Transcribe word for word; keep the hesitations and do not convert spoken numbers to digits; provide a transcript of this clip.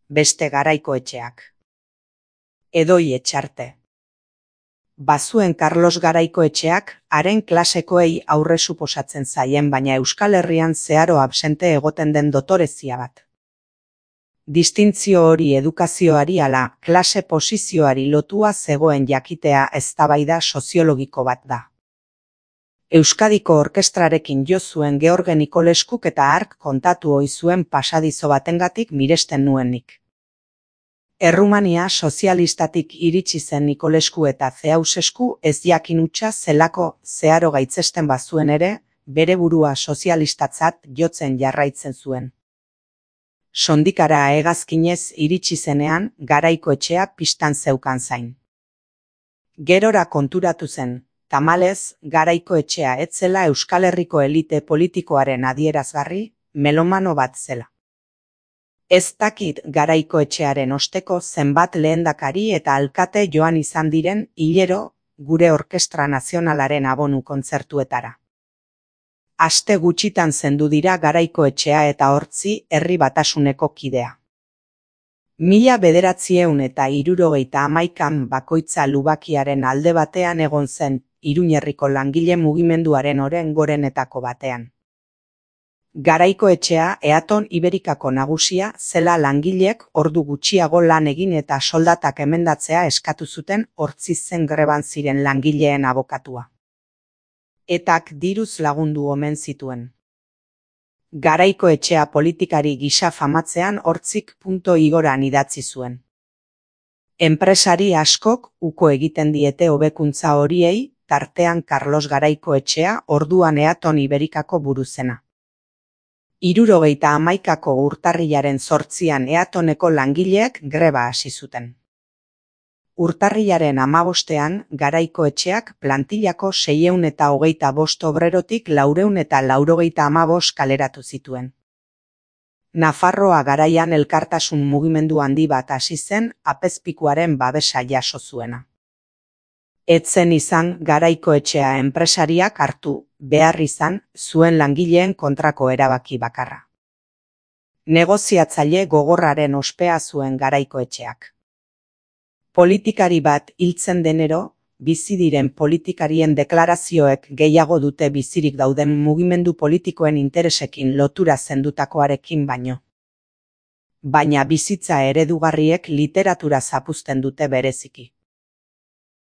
beste Garaiko Etxeak. Edoi Etxarte. Bazuen Karlos Garaiko Etxeak, haren klasekoei aurre suposatzen zaien baina Euskal Herrian zeharo absente egoten den dotorezia bat. Distintzio hori edukazioari ala klase posizioari lotua zegoen jakitea eztabaida soziologiko bat da. Euskadiko orkestrarekin jo zuen George Nikoleskuk eta hark kontatu ohi zuen pasadizo batengatik miresten nuen nik. Errumania sozialistatik iritsi zen Nikolesku eta Ceausescu ez jakin hutsa zelako zeharo gaitzesten bazuen ere, bere burua sozialistatzat jotzen jarraitzen zuen. Sondikara hegazkinez iritsi zenean, Garaiko Etxea pistan zeukan zain. Gerora konturatu zen, tamalez, Garaiko Etxea ez zela Euskal Herriko elite politikoaren adierazgarri, melomano bat zela. Ez dakit Garaiko Etxearen osteko zenbat lehendakari eta alkate joan izan diren hilero gure Orkestra Nazionalaren abonu kontzertuetara. Aste gutxitan zendu dira Garaiko Etxea eta Hortzi Herri Batasuneko kidea. Mila bederatziehun eta hirurogeita hamaikan bakoitza lubakiaren alde batean egon zen, Iruñerriko langile mugimenduaren oren gorenetako batean. Garaiko Etxea Eaton Iberikako nagusia zela langilek ordu gutxiago lan egin eta soldatak emendatzea eskatu zuten Hortzi zen greban ziren langileen abokatua. Etak diruz lagundu omen zituen. Garaiko Etxea politikari gisa famatzean Hortzik punto igoran idatzi zuen. Enpresari askok uko egiten diete hobekuntza horiei, tartean Karlos Garaiko Etxea orduan Eaton Iberikako buruzena. Hirurogeita hamaikako urtarrilaren zortzian Eatoneko langileek greba hasi zuten. Urtarrilaren hamabostean Garaiko Etxeak plantillako seiehun eta hogeita bost obrerotik laurehun eta laurogeita hamabost kaleratu zituen. Nafarroa garaian elkartasun mugimendu handi bat hasi zen apezpikuaren babesa jaso zuena. Etzen izan Garaiko Etxea enpresariak hartu behar izan zuen langileen kontrako erabaki bakarra. Negoziatzaile gogorraren ospea zuen Garaiko Etxeak. Politikari bat hiltzen denero, bizi diren politikarien deklarazioek gehiago dute bizirik dauden mugimendu politikoen interesekin lotura zendutakoarekin baino. Baina bizitza eredugarriek literatura zapuzten dute bereziki.